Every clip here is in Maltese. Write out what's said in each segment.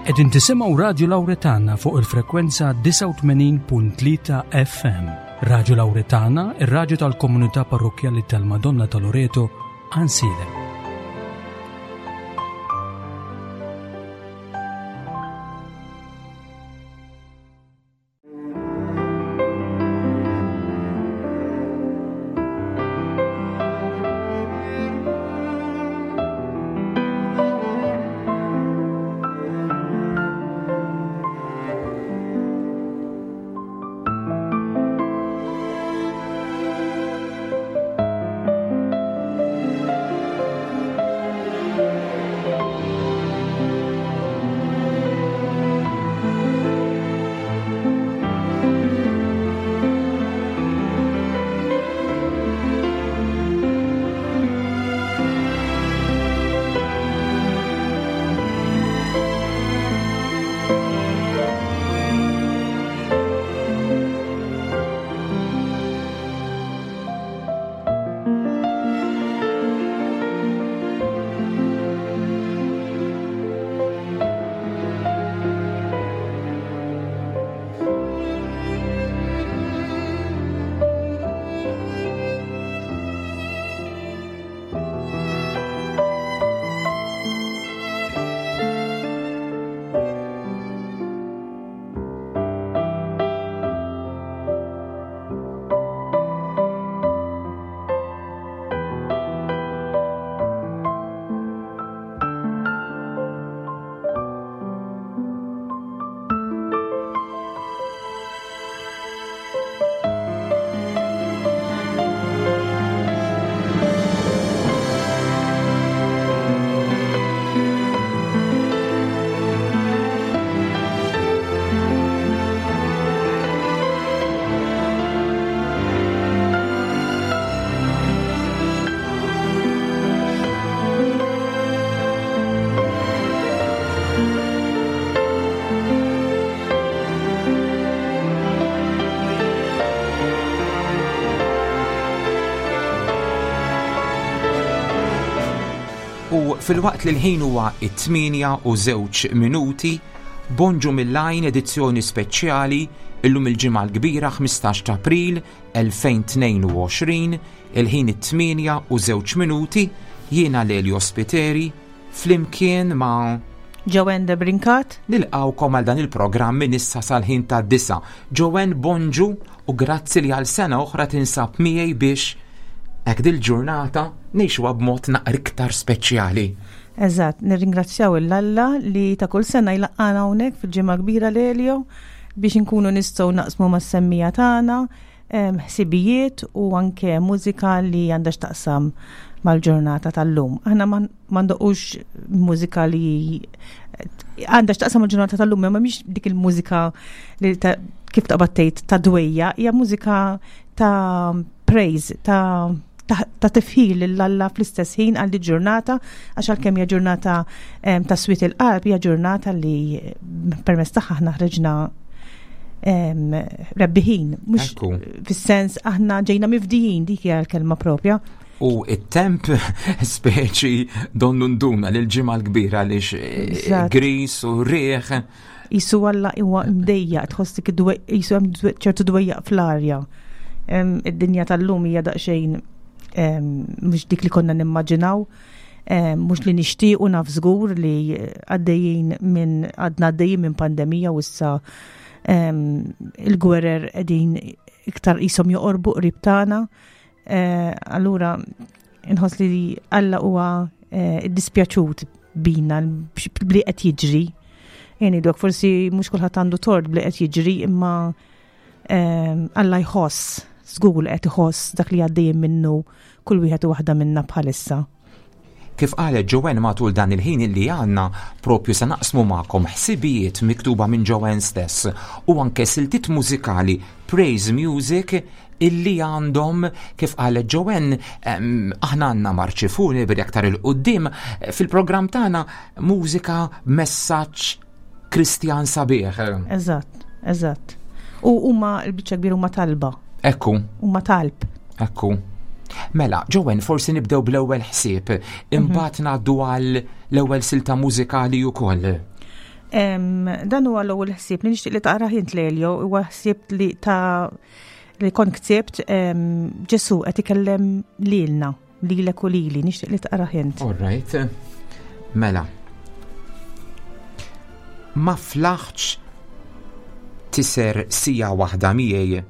Qegħdin tisimgħu Radju Lawretana fuq il-frekwenza 89.3 FM. Radju Lawretana, ir-radju tal-komunità parrokkjali tal-Madonna ta' Loreto, Għansielem. U filwaqt li l-ħin huwa it-8 u żewġ minuti, bonġu mill-għajn edizzjoni speċjali illum il-ġimgħa l-kbira 15 ta' April 2022, il-ħin it-8 u żewġ minuti, jiena Lelio Spiteri, flimkien ma' Joanne de Brincat. Nilqawkom għal dan il-programm minn issa sal-ħin ta' disa. Joanne bonġu u grazzi li għal sena oħra tinsab miegħi biex hekk dil-ġurnata ngħixuha b'mod naqra iktar speċjali. Eżatt, nirringrazzjaw il-Alla li ta' kull sena jlaqqana hawnhekk fil-ġimgħa kbira l-Elio biex inkunu nistgħu naqsmu mas-semmija tagħna ħsibijiet u anke mużika li għandha x'taqsam mal-ġurnata tal-lum. Aħna ma ndoqqux mużika li għandha x'taqsam mal-ġurnata tal-lum, imma mhix dik il-mużika li kif taqbad tgħid ta' dwejja, hija mużika ta' praise, ta' ta' tifħir lil Alla fl-istess ħin għal ġurnata għax għalkemm hija ġurnata ta' swit il-qalb hija ġurnata li permezz tagħha aħna ħreġna rebbiħin, mhux fis-sens aħna ġejna mifdijin dik hija l-kelma propja. U it-temp speċi donnu nduna lil ġimgħa l-kbira għaliex eh, gris u riħ. Jisu Alla huwa mdejjaq tħoss dik jisu hemm ċertu dwejjaq fl-arja. Id-dinja tal-lum hija daqsxejn mhux dik li konna nimmaġinaw, mhux li nixtiequ naf żgur li għaddejjin minn għadna għaddejjin minn pandemija u issa il-gwerer qegħdin iktar qishom joqorbu qrib tagħna. Eh, allura inħoss li Alla huwa eh, iddispjaċut bina bli qed jiġri. Jeni dok forsi mhux kulħadd għandu tort bli qed jiġri imma eh, Alla jħoss, żgur li qed iħoss dak li għaddejjin minnu kull wieħed u waħda minna bħalissa. Kif qalet Joanne matul dan il-ħin illi għandna propju se naqsmu magħkom ħsibijiet miktuba minn Joanne stess u anke siltiet mużikali praise music illi għandhom kif qalet Joanne aħna għandna marċi funebri aktar il-qudiem fil-programm tagħna mużika messaġġ Kristjan sabiħ. Eżatt, eżatt. U huma l-biċċa kbira huma talba. Ekku. Huma talb. Ekku. Mela, Jowen, forsi nibdew bl-ewwel ħsieb, mhm. imbagħad ngħaddu għal l-ewwel silta mużikali wkoll. Dan huwa l-ewwel ħsieb li nixtieq li taqra int Lelio, huwa ħsieb li ta' li kont ktibt Ġesu qed ikellem lilna, lilek u lili, nixtieq li taqra int. All right. Mela. Ma flaħċ tiser sija waħda miegħi.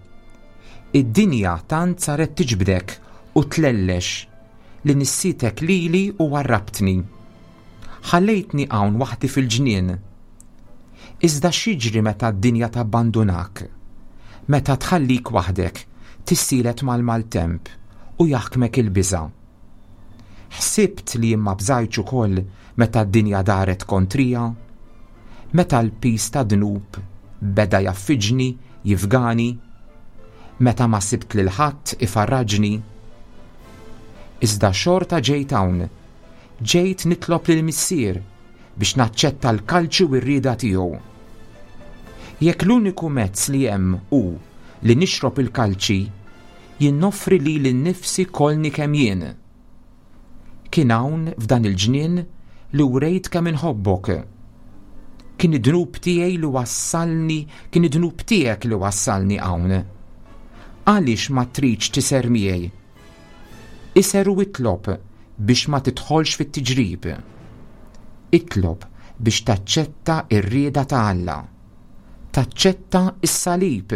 Id-dinja tant saret tiġbdek u tlellex li nissitek lili u warrabtni. Ħallejtni hawn waħdi fil-ġnien. Iżda x'jiġri meta d-dinja tabbandunak? Meta tħallik waħdek, tissielet mal-maltemp u jaħkmek il-biża'? Ħsibt li jien ma bżajtx ukoll meta d-dinja daret kontrija? Meta l-piż tad-dnub beda jgħaffiġni, jifgani? Meta ma sibt lil ħadd ifarraġni? Iżda xorta ġejt hawn Ġejt nitlob lill-Missier biex naċċetta l-kalċi u r-rieda tiegħu. Jekk l-uniku mezz li hemm hu li nixrob il-kalċi, jien noffri lili nnifsi kollni kemm jien. Kien hawn f'dan il-ġnien li wrejt kemm inħobbok. Kien id-dnub tiegħi li wassalni, kien id-dnub tiegħek li wassalni hawn. Għaliex ma tridx tiser miegħi? Iser u itlob biex ma tidħolx fit-tiġrib. Itlob biex taċċetta r-rieda ta' Alla. Taċċetta s-salib.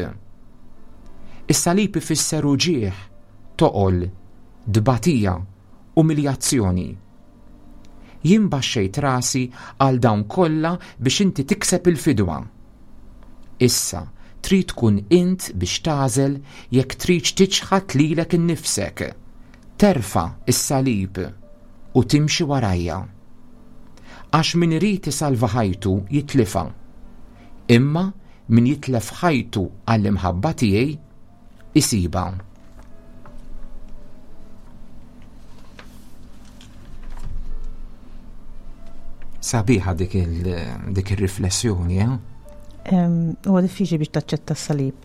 Is-salib ifisser uġigħ, toqol, tbatija, umiljazzjoni. Jien baxxejt rasi għal dawn kollha biex inti tikseb il-fidwa. Issa, trid tkun int biex tagħżel jekk tridx tiċħad lilek innifsek, terfa' s-salib u timxi warajja. Għax min irid isalva ħajtu jitlifha, imma min jitlef ħajtu għall-imħabba tiegħi isibha. Sabiħa dik il-riflessjoni, eh? Huwa diffiċli biex taċċetta s-salib.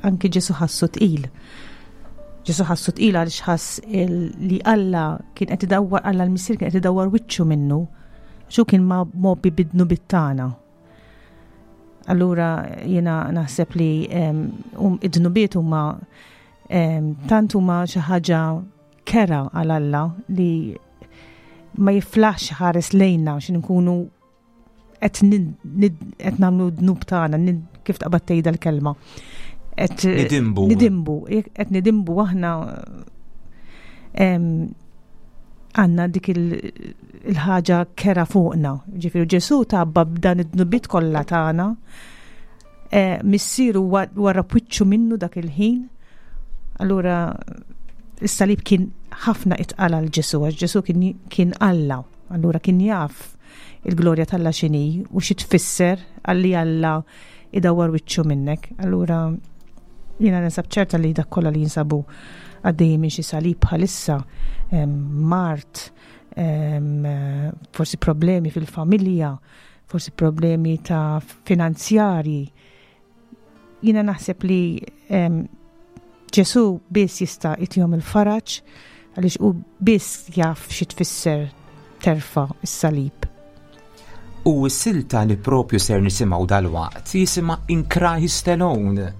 Anki Ġesu ħassu tqil. Ġesu ħassu tqil għaliex ħass li Alla kien qed idawwar Alla l-Missier kien qed idawwar wiċċu minnu. Xu kien ma mobbi bidnu bittana. Allura jiena naħseb li um, id-dnubiet huma tant huma xi ħaġa kera għal Alla li ma jiflaħx ħares lejna xi nkunu qed nagħmlu dnub tagħna kif taqbad tgħidha l-kelma. Qed nidimbu. Nidimbu, qed nidimbu aħna għanna dik il-ħaġa kera fuqna. Ġifieri Ġesu tabba b'dan id-dnubiet kollha tagħna. Eh, missieru wara wiċċu minnu dak il-ħin. Allura is-salib kien ħafna itqal għal Ġesu, għax Ġesu kien Alla. Allura kien jaf il-glorja t'Alla x'inhi u xi tfisser għalli Alla idawwar wiċċu minnek. Allura jiena ninsab ċerta li dak kollha li jinsabu għaddejjin minn xi salib bħalissa mart, forsi problemi fil-familja, forsi problemi ta' finanzjarji. Jiena naħseb li Ġesu biss jista' jtihom il-faraġ għaliex hu biss jaf xi tfisser terfa' s-salib. U s-silta li propju ser nisimgħu dalwaqt jisimha In Christ Alone.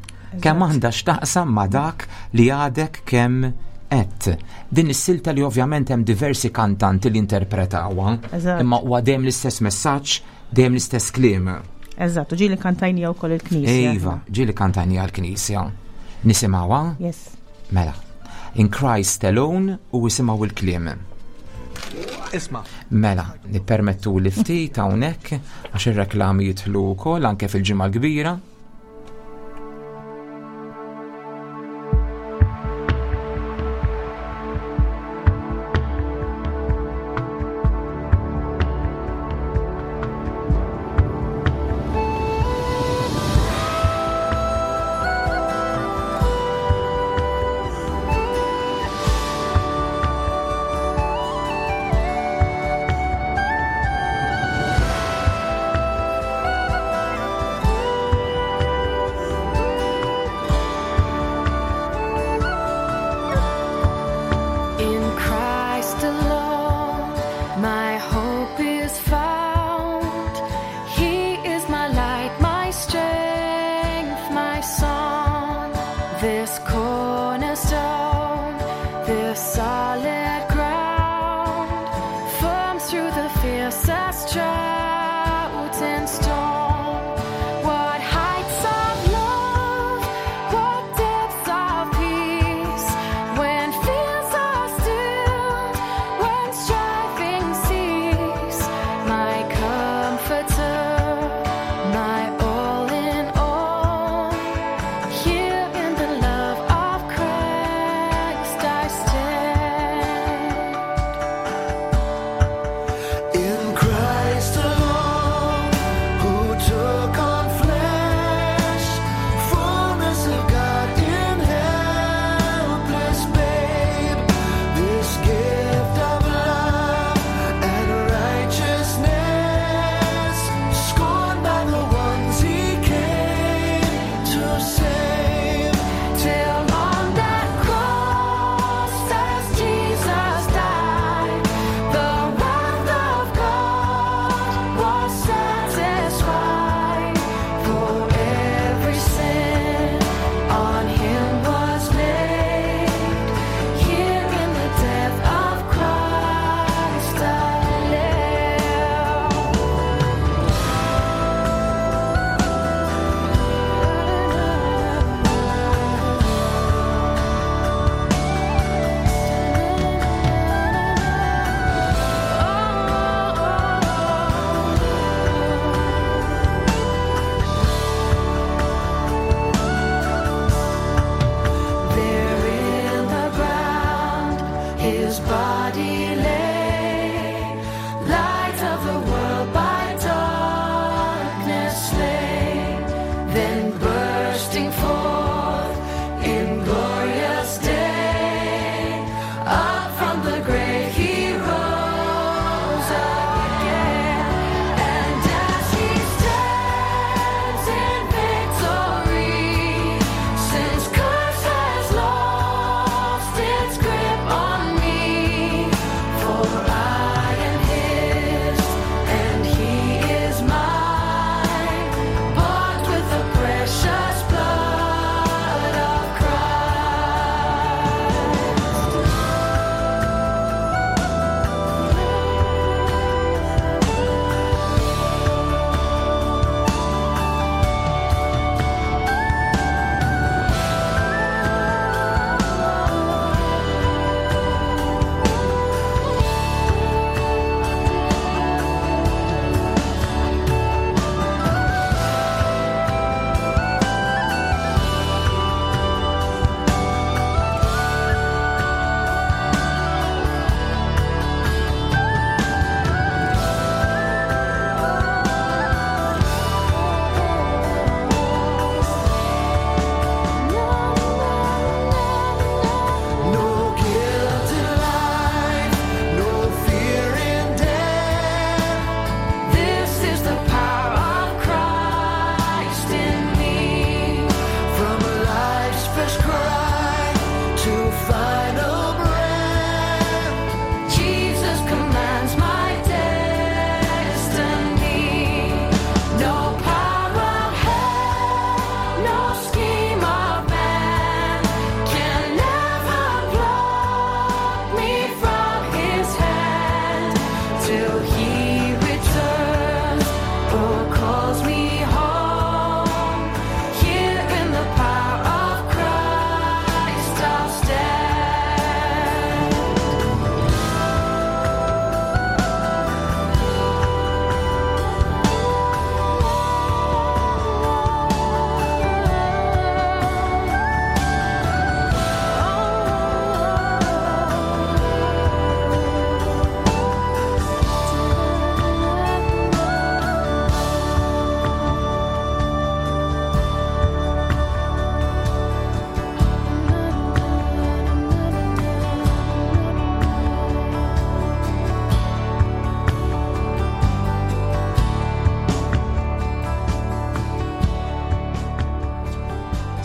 Kemm għandha x'taqsam ma' dak li għadek kemm qed. Din is-silta li ovvjament hemm diversi kantanti li interpretawha, imma huwa dejjem l-istess messaġġ Dejjem l-istess kliem. Eżatt, u ġieli kantajnija wkoll il-Knisja. Iva, ġieli kantajnija l-Knisja. Nisimgħuha? Yes. Mela. In Christ alone u isimgħu il-kliem. Isma. Mela, nippermettu li ftit hawnhekk għax ir-reklami jidħlu wkoll anke fil-ġimgħa l-kbira.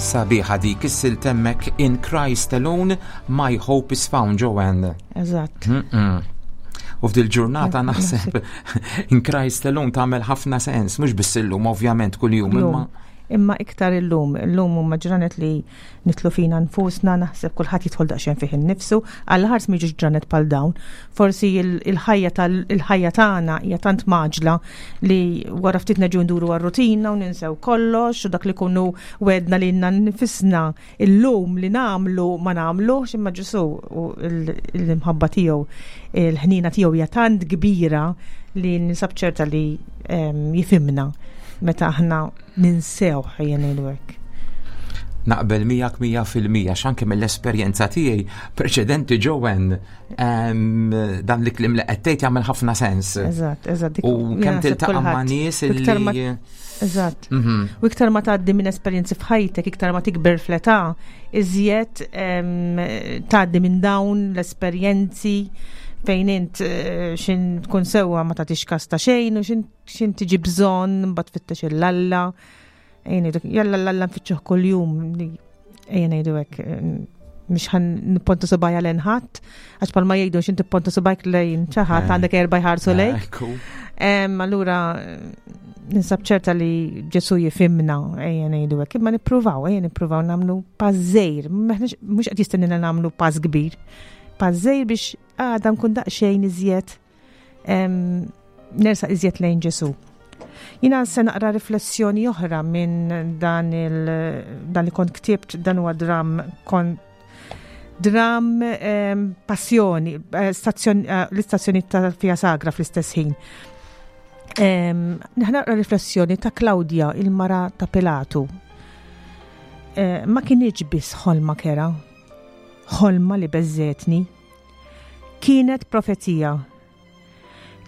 Sabiħa dik is-silta hemmhekk In Christ Alone My Hope is Found, Joanne. Eżatt. U f'dil ġurnata naħseb In Christ Alone tagħmel ħafna sens, mhux biss illum ovvjament kuljum imma. Imma iktar illum, illum huma ġranet li nitlu fina nfusna, naħseb kulħadd jidħol daqsxejn fih innifsu, għal ħars miġux ġranet bħal dawn. Forsi il-ħajja tal-ħajja tagħna hija tant maġla li wara ftit neġu nduru għar-rutina u ninsew kollox u dak li kunu wedna li nifisna illum li nagħmlu ma nagħmlux imma Ġesu u l-imħabba tiegħu il-ħnina tiegħu hija tant kbira li ninsab ċerta li ehm, jifimna meta aħna ninsew ħajja ngħidu hekk. Naqbel miegħek 100% x'anke mill-esperjenza tiegħi preċedenti Joanne dan li klim li qed tgħid jagħmel ħafna sens. Eżatt, eżatt. U kemm tiltaqa' ma' nies li Eżatt. Mhm. U iktar ma tgħaddi minn esperjenzi f'ħajtek, iktar ma tikber fl-età, iżjed tgħaddi minn dawn l-esperjenzi fejn int eh, xin tkun sewwa ma tagħtix kas ta' xejn u xin X'in tiġi bżonn, mbagħad tfittex il-Alla. Ejja ngħidu, jalla l-Alla nfittxuh kuljum. Ejja ngħidu hekk mhux ħan nipponta subajja lejn ħadd, għax palma jgħidu x'in tipponta subajk lejn xi ħadd eh. għandek erba' jħarsu lejk. Allura ninsab ċerta li Ġesu jifimna, ejja ngħidu hekk, imma nippruvaw, ejja nippruvaw nagħmlu pass żgħir, mhux qed jistennina nagħmlu pass kbir. Pass żgħir biex għada nkun daqsxejn iżjed nersa iżjed lejn Ġesu. Jina se naqra riflessjoni oħra minn dan il dan li kont ktibt dan huwa dram kon dram passjoni, eh, eh, l-istazzjoni tal-Fija Sagra fl-istess ħin. Naqra riflessjoni ta' Claudia, il-mara ta' Pilatu. Eh, ma kienieċ biss ħolma kera, ħolma li beżżetni. Kienet profezija.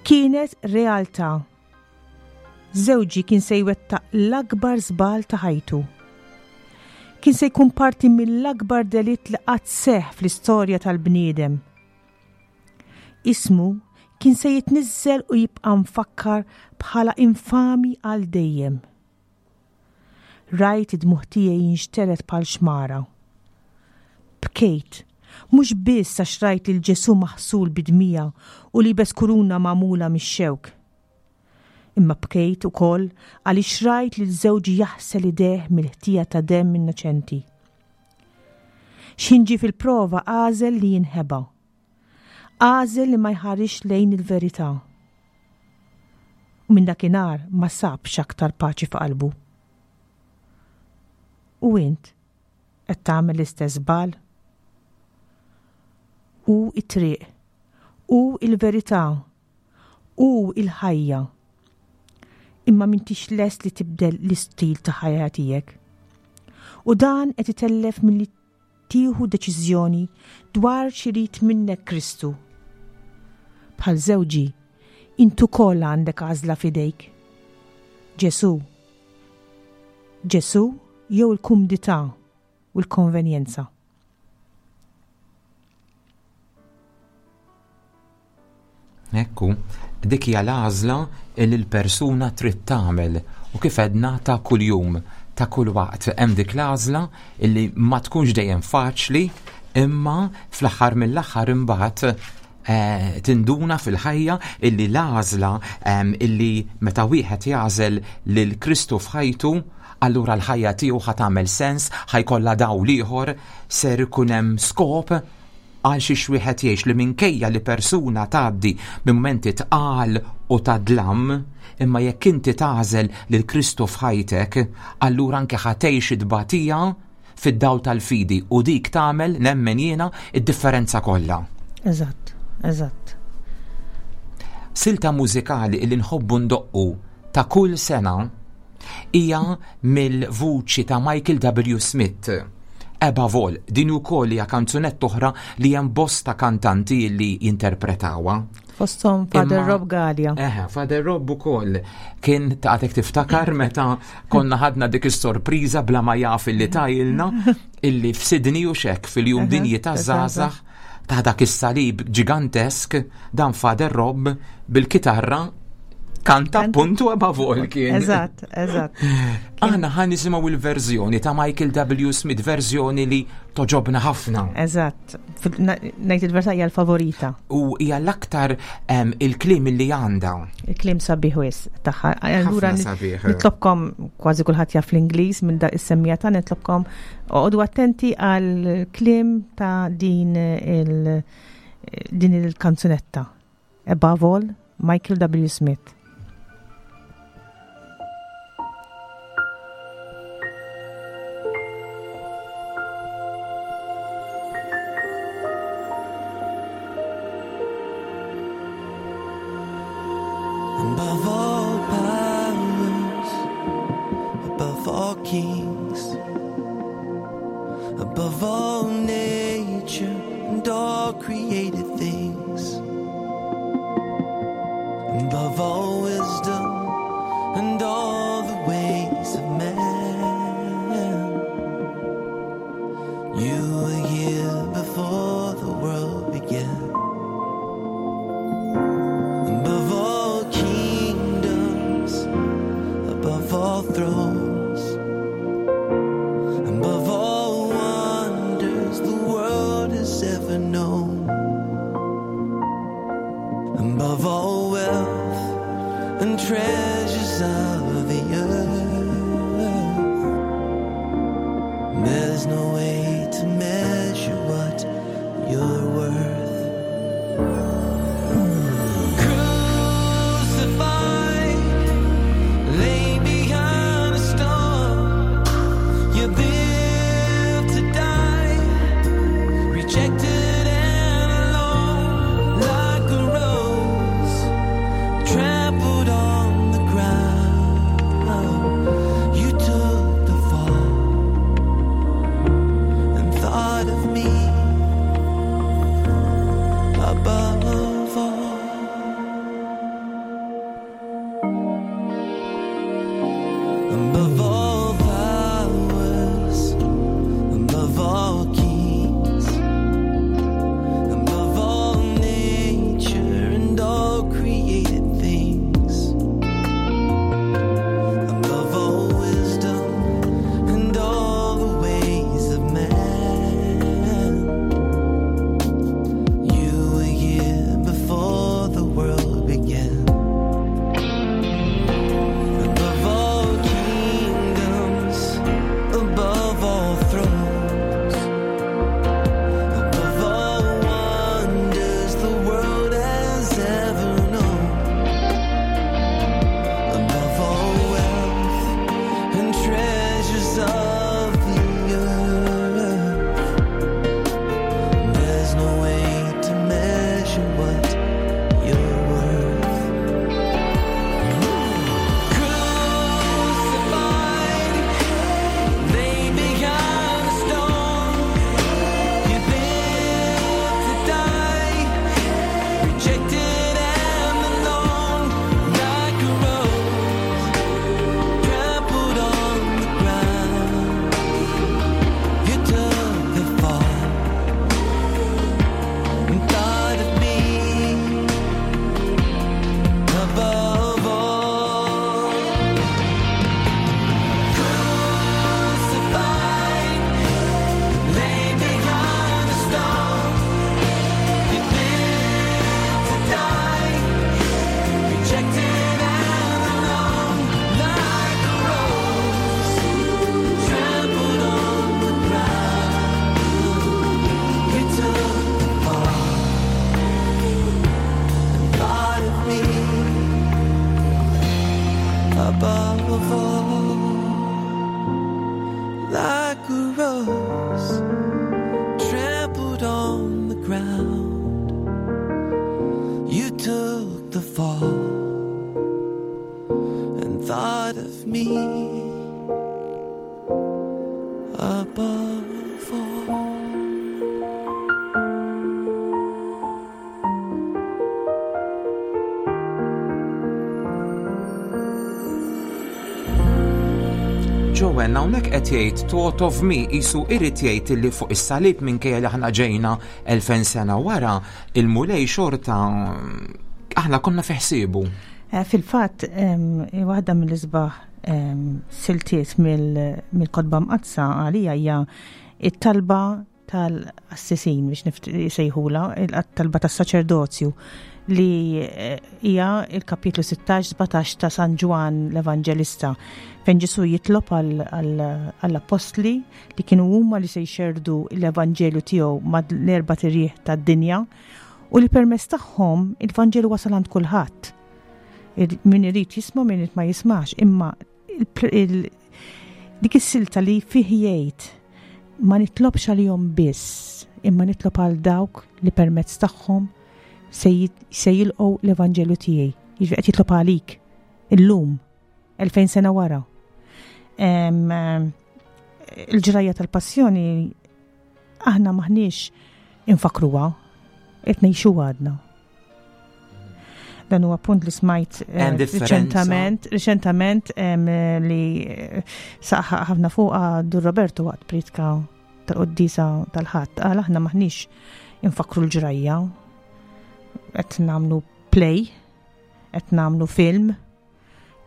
Kienet realtà. Żewġi kien se jwettaq l-akbar żball ta' ħajtu. Kien se jkun parti mill-akbar delitt li qatt seħħ fl-istorja tal-bniedem. Ismu kien se jitniżżel u jibqa' mfakkar bħala infami għal dejjem. Rajt id-dmugħ tiegħi jinxtered bħal xmara. Bkejt, mhux biss għax rajt lil Ġesù maħsul bid-dmija u liebes kuruna magħmula mix-xewk. Imma bkejt ukoll għaliex rajt lil żewġi jaħsel idejh mill-ħtija ta' demm innoċenti. X'ħin ġie fil-prova għażel li jinħeba. Għażel li ma jħarisx lejn il-verità. U minn dakinhar ma sabx aktar paċi f'qalbu. U int qed tagħmel l-istess żball? Hu t-triq, hu l-verità, hu l-ħajja. Imma m'intix lest li tibdel l-istil ta' ħajja tiegħek. U dan qed itellef milli tieħu deċiżjoni dwar x'irid minnek Kristu. Bħal żewġi, int ukoll għandek għażla f'idejk. Ġesù. Ġesù jew il-kumdità u l-konvenjenza. Ekku, dik hija l-għażla li l-persuna trid tagħmel u kif għedna ta' kuljum, ta' kull waqt hemm dik l-għażla li ma tkunx dejjem faċli imma fl-aħħar mill-aħħar imbagħad eh, tinduna fil-ħajja illi l-għażla ehm, illi meta wieħed jagħżel lil Kristu f'ħajtu allura l-ħajja tiegħu ħa tagħmel sens, ħajkollha dawl ieħor, ser ikun hemm skop għal xiex wieħed jgħix li minkejja li persuna tgħaddi minn mumenti tqal u ta' dlam, imma jekk inti tagħżel lil Kristu f'ħajtek, allura anke ħa tgħix it-tbatija fid-dawl tal-fidi u dik tagħmel, nemmen jiena, id-differenza kollha. Eżatt, eżatt. Silta mużikali li nħobbu ndoqqu ta' kull sena hija mill-vuċi ta' Michael W. Smith. Above All, din ukoll hija kanzunetta oħra li hemm bosta kantanti li jinterpretawha. Fosthom Father Rob Gallia. Eħe, Father Rob ukoll kien taqgħek tiftakar meta konna ħadna dik is-sorpriża bla ma jaf illi tajilna illi f'Sydney u xek fil-jum dinji ta' żgħażagħ ta' dak is-salib ġigantesk dan Father Rob bil-kitarra. Kanta puntu above all kien. Eżatt, eżatt. Aħna ħa nisimgħu il-verżjoni ta' Michael W. Smith, verżjoni li toġobna ħafna. Eżatt. Ngħid il-verità hija l-favorita. U hija l-aktar il-kliem li għandha. Il-kliem sabiħ wis tagħha. Allura nitlobkom kważi kulħadd jaf l-Ingliż minn da is-semmija ta' nitlobkom oqogħdu attenti għal kliem ta' din il din il-kanzunetta. Above all, Michael W. Smith. Above all powers, above all kings, above all nature and all created things, above all wisdom and all the ways of man. You were here before the world began. Above all kingdoms, above all thrones, above all wonders the world has ever known, above all wealth and treasures of the earth, there's no way to measure what you're worth. Crucified, laid behind a stone, you live to die, rejected and alone, like a rose trampled on the ground. You took the fall and thought of me above all. Above all powers, above all kings, above all nature and all created things, above all wisdom and all the ways of man, you were here before the world began. Above all kingdoms, above all thrones, above all wonders the world has ever known, above all wealth and treasures of the earth, there's no way to measure what you're worth. Crucified, laid behind a stone, you live to die, rejected and alone, like a rose trampled on the ground. You took the fall and thought of me above all. Crucified, laid behind a stone, you live to die, rejected and alone, like a rose trampled on the ground. You took the fall and thought of me above all, like a rose trampled on the ground. You took the fall and thought of me above all. Joanne, hawnhekk qed jgħid thought of me isu irid jgħid li fuq is-salib minkejja li aħna ġejna 2000 sena wara, il-Mulej xorta aħna konna fi ħsiebu. Eh, fil-fatt, waħda mill-isbaħ siltiet mill-kotba mqaddsa għalija hija it-talba tal-assisin biex jsejħula, il-talba tas-saċerdozju li eh, hija il-kapitlu 16-17 ta' San Ġwan l-Evanġelista fejn Ġesu jitlob għall-appostli li kienu huma li se jxerdu l-Evanġelju tiegħu mad-erba' tirjieħ tad-dinja u li permezz tagħhom il-Vanġelu wasal għand kulħadd. Min irid jisma' min irid ma jismax, imma dik is-silta li fih jgħid ma nitlobx għalihom biss, imma nitlob għal dawk li permezz tagħhom se jilqgħu l-Evanġelju tiegħi. Jiġifieri qed jitlob għalik illum, 2000 sena wara. Il-ġrajja tal-passjoni aħna maħniex infakruha, qed ngħixu għadna. Dan huwa punt li smajt eh, riċentament, riċentament li eh, saħħa ħafna fuqha Dur Roberto waqt pritka tal-qoddisa tal-ħadd qal aħna maħniex infakru l-ġrajja qed nagħmlu play, qed nagħmlu film,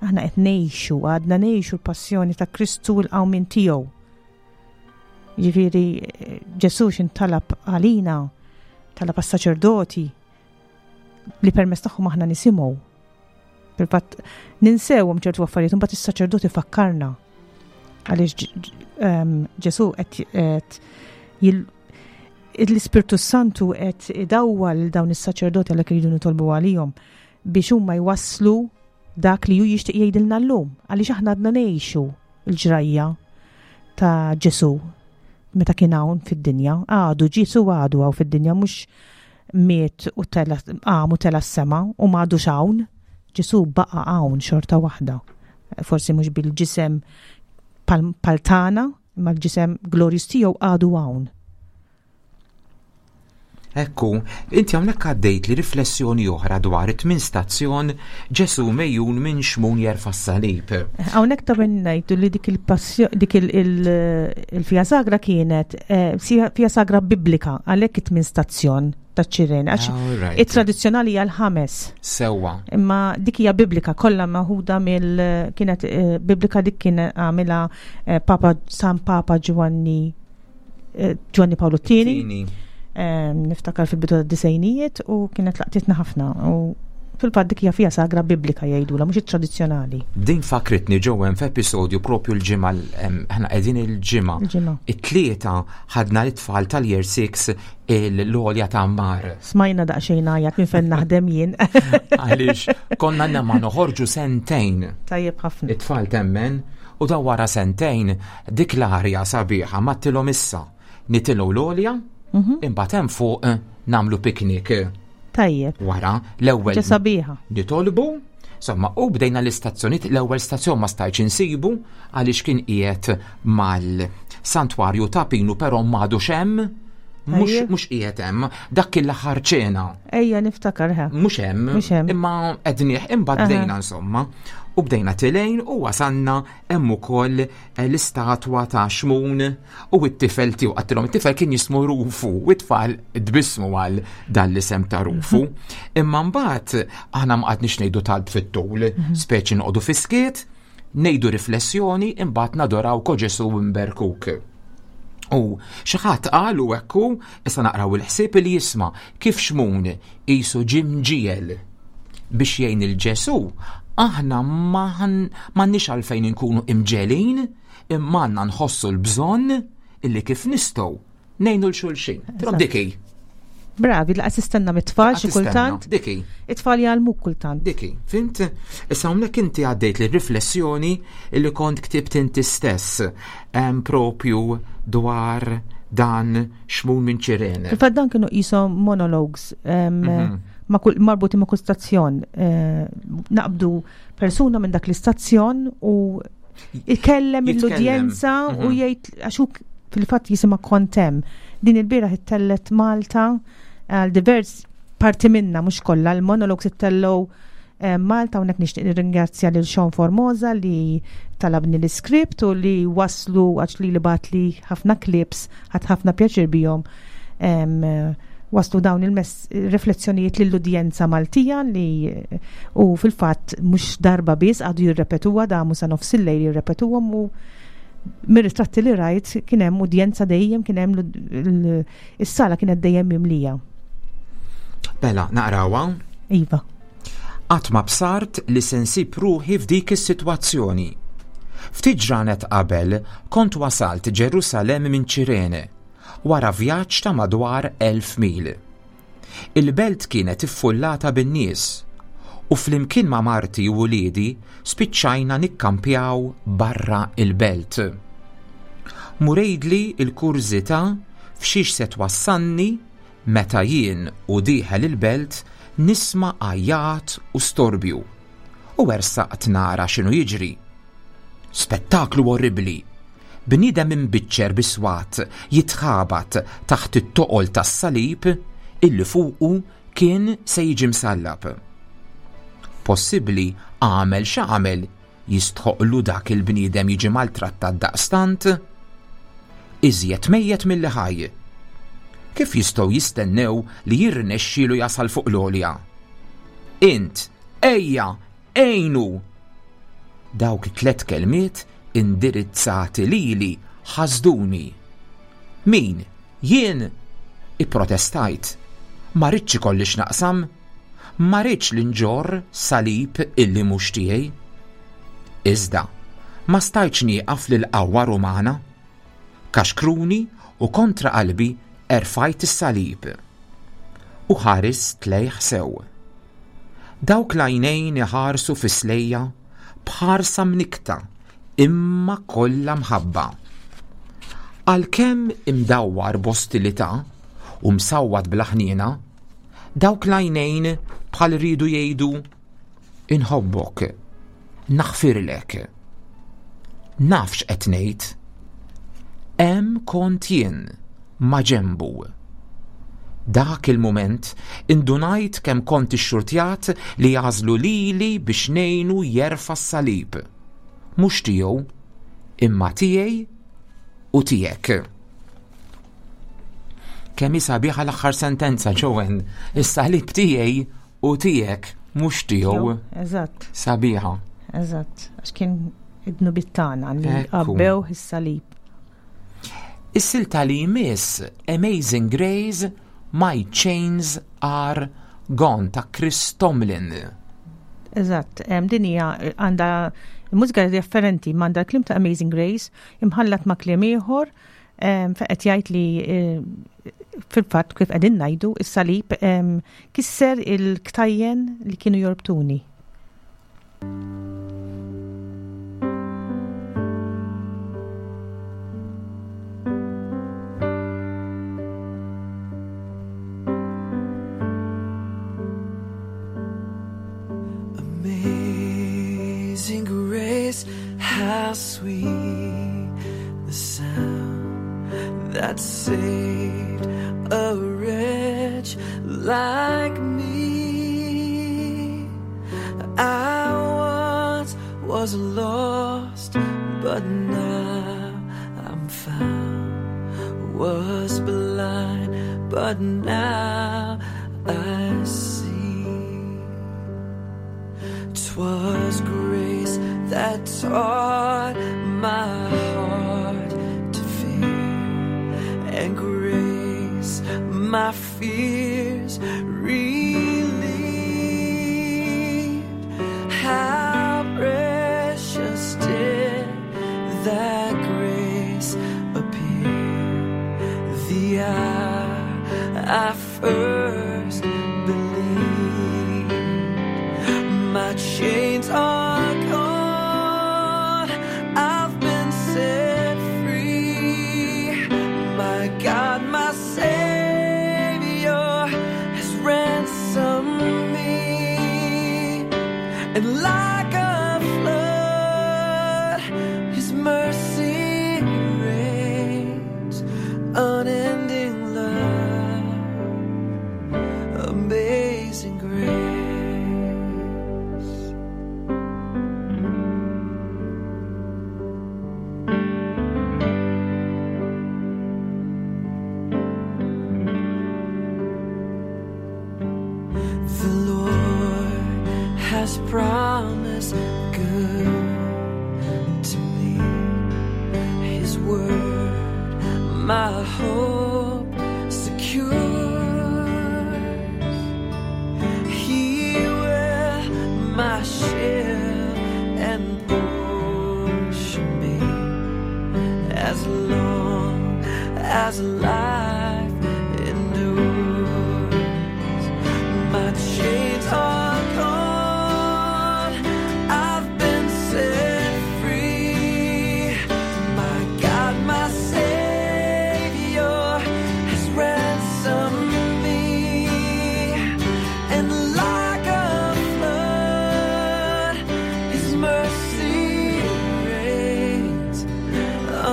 Aħna qed ngħixu, għadna ngħixu l-passjoni ta' Kristu u l-qawmien tiegħu. Ġifieri Ġesù x'intalab għalina, talab għas-saċerdoti li permezz tagħhom aħna nisimgħu. Fil-fatt ninsewhom ċertu affarijiet, imbagħad is-saċerdoti fakkarna. Għaliex ehm, Ġesù qed l-Ispirtu Santu qed idawwal dawn is-saċerdoti għalhekk iridu nitolbu għalihom biex huma jwasslu dak li hu jixtieq jgħidilna llum, għaliex aħna għadna ngħixu l-ġrajja ta' Ġesù meta kien hawn fid-dinja. Għadu Ġesù għadu hawn fid-dinja mhux miet u tela qam u tela s-sema u m'għadux hawn. Ġesù baqa' hawn xorta waħda. Forsi mhux bil-ġisem pal tagħna, imma l-ġisem glorjus tiegħu għadu hawn. Ekku, inti hawnhekk għaddejt li riflessjoni oħra dwar it-tmien stazzjon Ġesu mejjun minn Xmun jerfa' s-salib. Hawnhekk ta' min ngħidu li dik il-passjoni dik il-fija sagra kienet eh, fija sagra biblika għalhekk it-tmien stazzjon ta' ċirene għax it-tradizzjonali hija l-ħames. Sewwa. Imma dik hija biblika kollha maħuda mill kienet eh, biblika dik kien għamilha eh, Papa San Papa Ġwanni Eh, Giovanni Paolo Tieni. Niftakar fil-bidu tad-disejnijiet u kienet laqtitna ħafna u fil-fatt dik hija fija sagra biblika jgħidula mhux it-tradizzjonali. Din fakritni ġewwen f'episodju propju l-ġimgħa aħna qegħdin il-ġimgħa. It-tlieta ħadna l-tfal tal-year 6 l-għolja ta' mar. Smajna daqsxejn għajat minn fejn naħdem jien. Għaliex konna ma noħorġu sentejn. Tajjeb ħafna. It-tfal temmen U dawn wara sentejn dik l-arja sabiħa mattilhom issa. Nitilgħu l-għolja, mhm. imbagħad hemm fuq eh, nagħmlu piknik. Tajjeb. Wara l-ewwel. Sabiħa. Nitolbu, Insomma, u bdejna l-istazzjoniet, l-ewwel stazzjon ma stajtx insibu għaliex kien qiegħed mal-santwarju ta' Pinu però m'għadux hemm mhux qiegħed hemm, dak kien l-aħħar ċena. Ejja niftakar ha. Mhux hemm, imma qednieh imbagħad bdejna insomma. U bdejna tilejn u wasanna hemm ukoll eh, l-istatwa ta' Xmun u t-tifel tiegħu qattilhom it-tifel kien jismu Rufu u t-tfal tbissmu għal dan l-isem ta' Rufu. Mhm. Imma mbagħad aħna ma qgħadniex ngħidu talb fit-tul, mhm. speċi noqogħdu fiskiet, ngħidu riflessjoni imbagħad nadoraw ko Ġesu mberkuk. U xi ħadd qal u hekk issa naqraw il-ħsieb li jisma' kif Xmun qisu ġie mġiegħel biex jgħin il Ġesu, aħna m'għandniex għalfejn inkunu imġegħlin imma għandna nħossu l-bżonn illi kif nistgħu Nejnu l-xulxin. Trom diki. Bravi, laqas istenna mit-tfal xi kultant. Diki. It-tfal jgħallmuk kultant. Diki, fint? Issa hawnhekk inti għaddejt li riflessjoni li kont ktibt inti stess propju dwar dan xmun minn ċirene. Fil-fatt dan kienu qishom monologues mhm. marbuti ma' kull stazzjon. Eh, naqbdu persuna minn dak l-istazzjon u ikellem l-udjenza u mhm. jgħid għax fil-fatt jisimha Kontem. Din il-bieraħ ittellet Malta għal divers parti minna mhux kollha l-monologs ittellgħu eh, Malta hawnhekk nixtieq nirringrazzja lil Sean Formosa li talabni l-iskript u li waslu għax li li batli ħafna clips ħadd ħafna pjaċir bihom. waslu dawn il-riflessjonijiet lill-udjenza Maltija li u fil-fatt mhux darba biss għadu jirrepetuha damu sa nofs il-lejl jirrepetuhom u mir-ritratti li rajt kien hemm udjenza dejjem kien hemm is-sala kienet dejjem mimlija. Bella, naqrawha? Iva. Qatt ma bsart li se nsib ruħi f'dik is-sitwazzjoni. Ftit ġranet qabel kont wasalt Ġerusalemm minn Ċirene, wara vjaġġ ta' madwar 1,000 mil. Il-belt kienet iffullata bin-nies, u flimkien ma' marti u uliedi spiċċajna nikkampjaw barra l-belt. Mur għidli l-kurżità f'xiex se twassalni meta jien u dieħel il-belt nisma' għajjat u storbju, u ersaqt nara x'inhu jiġri. Spettaklu orribbli! Bniedem imbiċċer bi swat jitħabat taħt it-toqol tas-salib illi fuqu kien se jiġi msallab. Possibbli għamel x'għamel jistħoqqlu dak il-bniedem jiġi maltrattat daqstant? Iżjed mejjet milli ħaj. Kif jistgħu jistennew li jirnexxielu jasal fuq l-għolja? Int, ejja, għinu! Dawk it-tlett kelmiet indirizzati lili ħasduni. Min? Jien? Ipprotestajt. Ma ridtx ikolli x'naqsam. Ma ridtx li nġorr salib illi mhux tiegħi. Iżda, ma stajtx nieqaf lill-qawwa Rumana. Kaxkruni u kontra qalbi erfajt is-salib. U ħarist lejh sew. Dawk l-għajnejn iħarsu fis-slejja b'ħarsa mnikkta imma kollha mħabba. Għalkemm imdawwar b'ostilità u msawwat bla ħniena, dawk l-għajnejn bħal riedu jgħidu Inħobbok, naħfirlek. Naf x'qed ngħid. Hemm kont jien ma' ġenbu. Dak il-mument indunajt kemm kont ixxurtjat li għażlu lili biex ngħinu jerfa' s-salib. Mhux tiegħu, imma tiegħi u tiegħek. Kemm hi sabiħa l-aħħar sentenza, Joanne. Is-salib tiegħi u tiegħek mhux tiegħu. Eżatt. Sabiħa. Eżatt, għax kien id-dnubiet tagħna li għabbew is-salib. Is-silta li jmiss Amazing Grace My Chains Are Gone ta' Chris Tomlin. Eżatt, din hija għandha mużika differenti m'għandha kliem ta' Amazing Grace imħallat ma' kliem ieħor fejn qed jgħid li eh, fil-fatt kif qegħdin ngħidu is-salib kisser il-ktajjen li kienu jorbtuni. Amazing grace, how sweet the sound that saved a wretch like me. I once was lost, but now I'm found. Was blind, but now I see. 'Twas grace that taught my heart to fear, and grace my fears relieved. How precious did that grace appear the hour I first believed. My chains are gone, I've been set free. My God, my Savior has ransomed me. And like a flood, His mercy reigns, unending love, amazing grace. has promised good to me. His word, my hope secures. He will my shield and portion be as long as life endures. My chains are gone, I've been set free. My God, my Savior has ransomed me, and like a flood, His mercy reigns,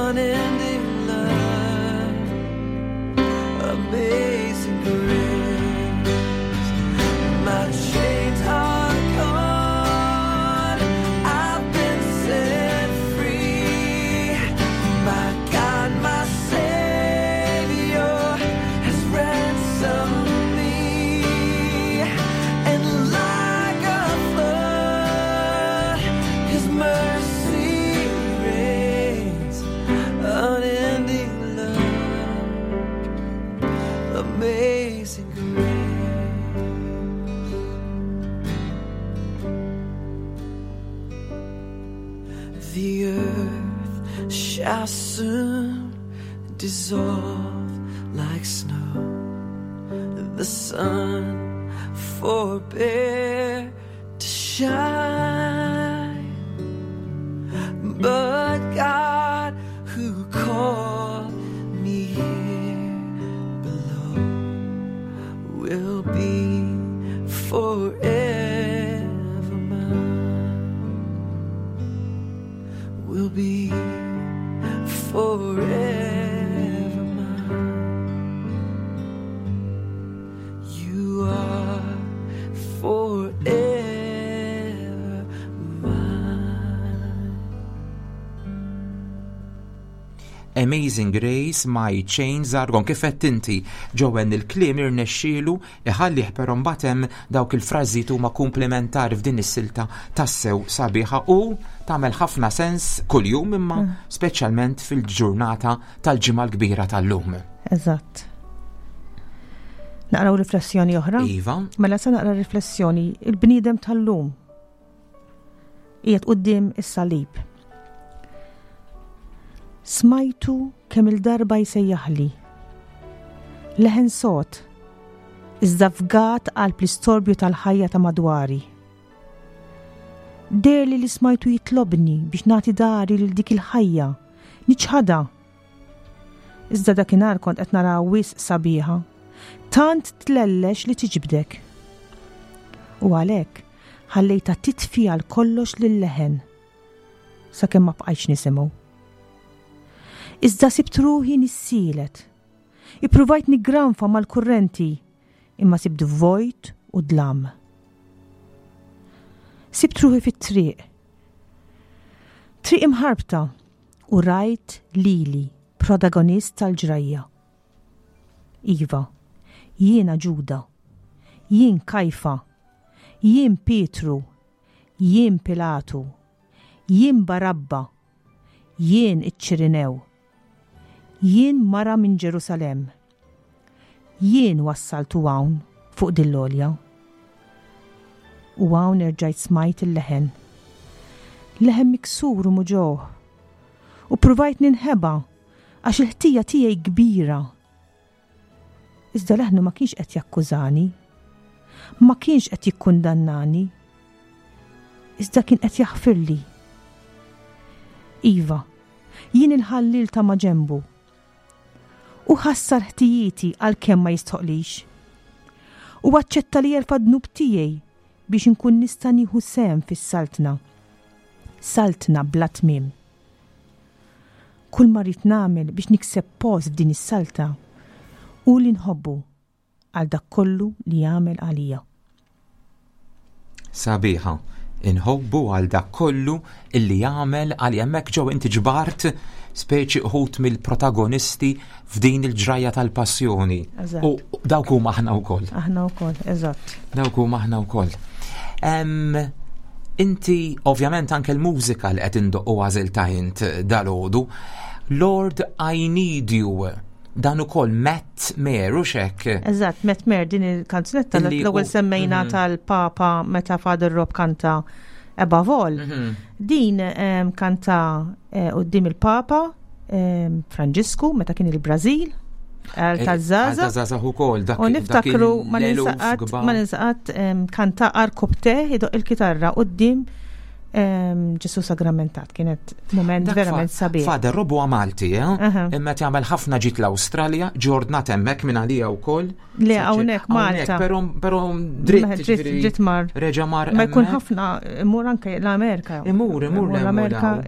unending love, amazing grace. My chains are gone, I've been set free. My God, my Savior has ransomed me, and like a flood, His mercy reigns, unending love, amazing grace. The earth shall soon dissolve like snow. The sun forbear to shine. But God, who called me here below, will be forever mine. Will be forever mine. You are forever mine. Amazing Grace, My Chains Are Gone. Kif qed inti Joanne il-kliem irnexxielu iħallih però mbagħad hemm dawk il-frażijiet huma komplementari f'din is-silta tassew sabiħa u tagħmel ħafna sens kuljum imma speċjalment fil-ġurnata tal-Ġimgħa l-Kbira tal-lum. Eżatt. Naqraw riflessjoni oħra? Iva. Mela se naqra riflessjoni il-bniedem tal-lum qiegħed quddiem is-salib. Smajtu kemm il-darba jsejjaħli. Leħen sod, iżda fgat qalb l-istorbju tal-ħajja ta' madwari. Deherli li smajtu jitlobni biex nagħti dari lil dik il-ħajja, niċħadha. Iżda dakinhar kont qed naraha wisq sabiħa, tant tlellex li tiġbdek. U għalhekk ħallejtha titfi għal kollox lil-leħen sakemm ma bqajtx nisimgħu. Iżda sibt ruħi nissielet. Ippruvajt niggranfa mal-kurrenti, imma sibt vojt u dlam. Sibt ruħi fit-triq. Triq imħarbta u rajt lili, protagonist tal-ġrajja. Iva, jiena Ġuda. Jien Kajfa. Jien Pietru. Jien Pilatu. Jien Barabba. Jien iċ-Ċirinew. Jien mara minn Ġerusalemm. Jien wassaltu hawn fuq din l-għolja. U hawn erġajt smajt il-leħen. Leħen miksur u muġugħ. U ppruvajt ninħeba għax il-ħtija tiegħi kbira. Iżda leħnu ma kienx qed jakkużani. Ma kienx qed jikkundannani. Iżda kien qed jaħfirli. Iva, jien il-ħalliel ta' maġenbu. U ħassar ħtijieti għalkemm ma jistħoqlix. U aċċetta li jerfa' dnub tiegħi biex inkun nista' nieħu sehem fis-saltna. Saltna bla tmiem. Kull ma rrid nagħmel biex nikseb post f'din is-saltna hu li nħobbu għal dak kollu li għamel għalija. Sabiħa, inħobbu għal dak kollu illi għamel għalija. Hemmhekk ġew inti ġbart speċi uħut mill-protagonisti f'din il-ġrajja tal-passjoni. U dawk huma aħna wkoll. Aħna wkoll, eżatt. Dawk huma aħna wkoll. Inti ovvjament anke l-mużika li qed indoqqu għażilta int dalgħodu. Lord I Need You dan ukoll Matt Mayer u xek. Eżatt, Matt Mayer din il-kanzunetta l-ewwel semmejna tal-Papa meta Father Rob kanta Above All. Din kanta quddiem il-Papa Franġisku meta kien il-Brażil għal taż-żaza. Taż-żaza ukoll dak. U niftakru ma ninsaqat ma ninsaqat kanta arkopte idoq il-kitarra quddiem Ġesu Sagramentat kienet moment verament sabiħ. Father Rob huwa Malti, eh? Imma jagħmel ħafna ġid l-Awstralja, ġordnat hemmhekk minn għalija wkoll. Le hawnhekk Malta. Però dritt dritt mar. Reġa' mar. Ma jkun ħafna imur anke l-Amerika. Imur, imur l-Amerika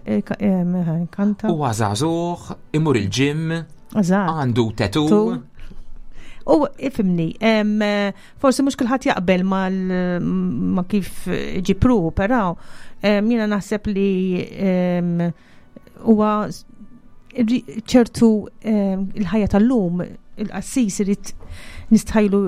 kanta. Huwa żagħżugħ, imur il-ġim. Għandu tattoo. U ifimni, forsi mhux kulħadd jaqbel ma kif ġipruħu, però jiena naħseb li huwa ċertu il-ħajja tal-lum il-qassis irid nistħajlu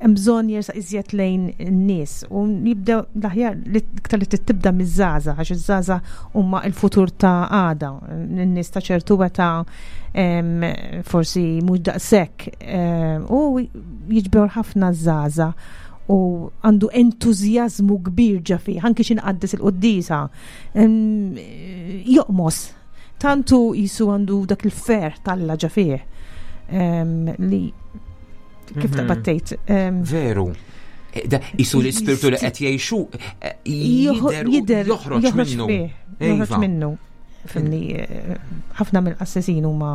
hemm bżonn jersaq iżjed lejn in-nies u jibda l-aħjar li iktar li tibda miż-żgħażagħ għax iż-żgħażagħ huma l-futur ta' għada. N-nies ta' ċertu meta forsi mhux daqshekk u jiġbor ħafna żgħażagħ u għandu entużjażmu kbir ġa fih, anki xi nqaddes il-quddiesa. Joqmos Tantu jisu għandu dak il-ferħ talla ġa fih li kif taqbad tgħid. Veru. Jisu l-ispirtu li qed jgħixu jidher joħroġ minnu. Joħroġ iva. minnu. Fimni, ħafna mill-qassisin huma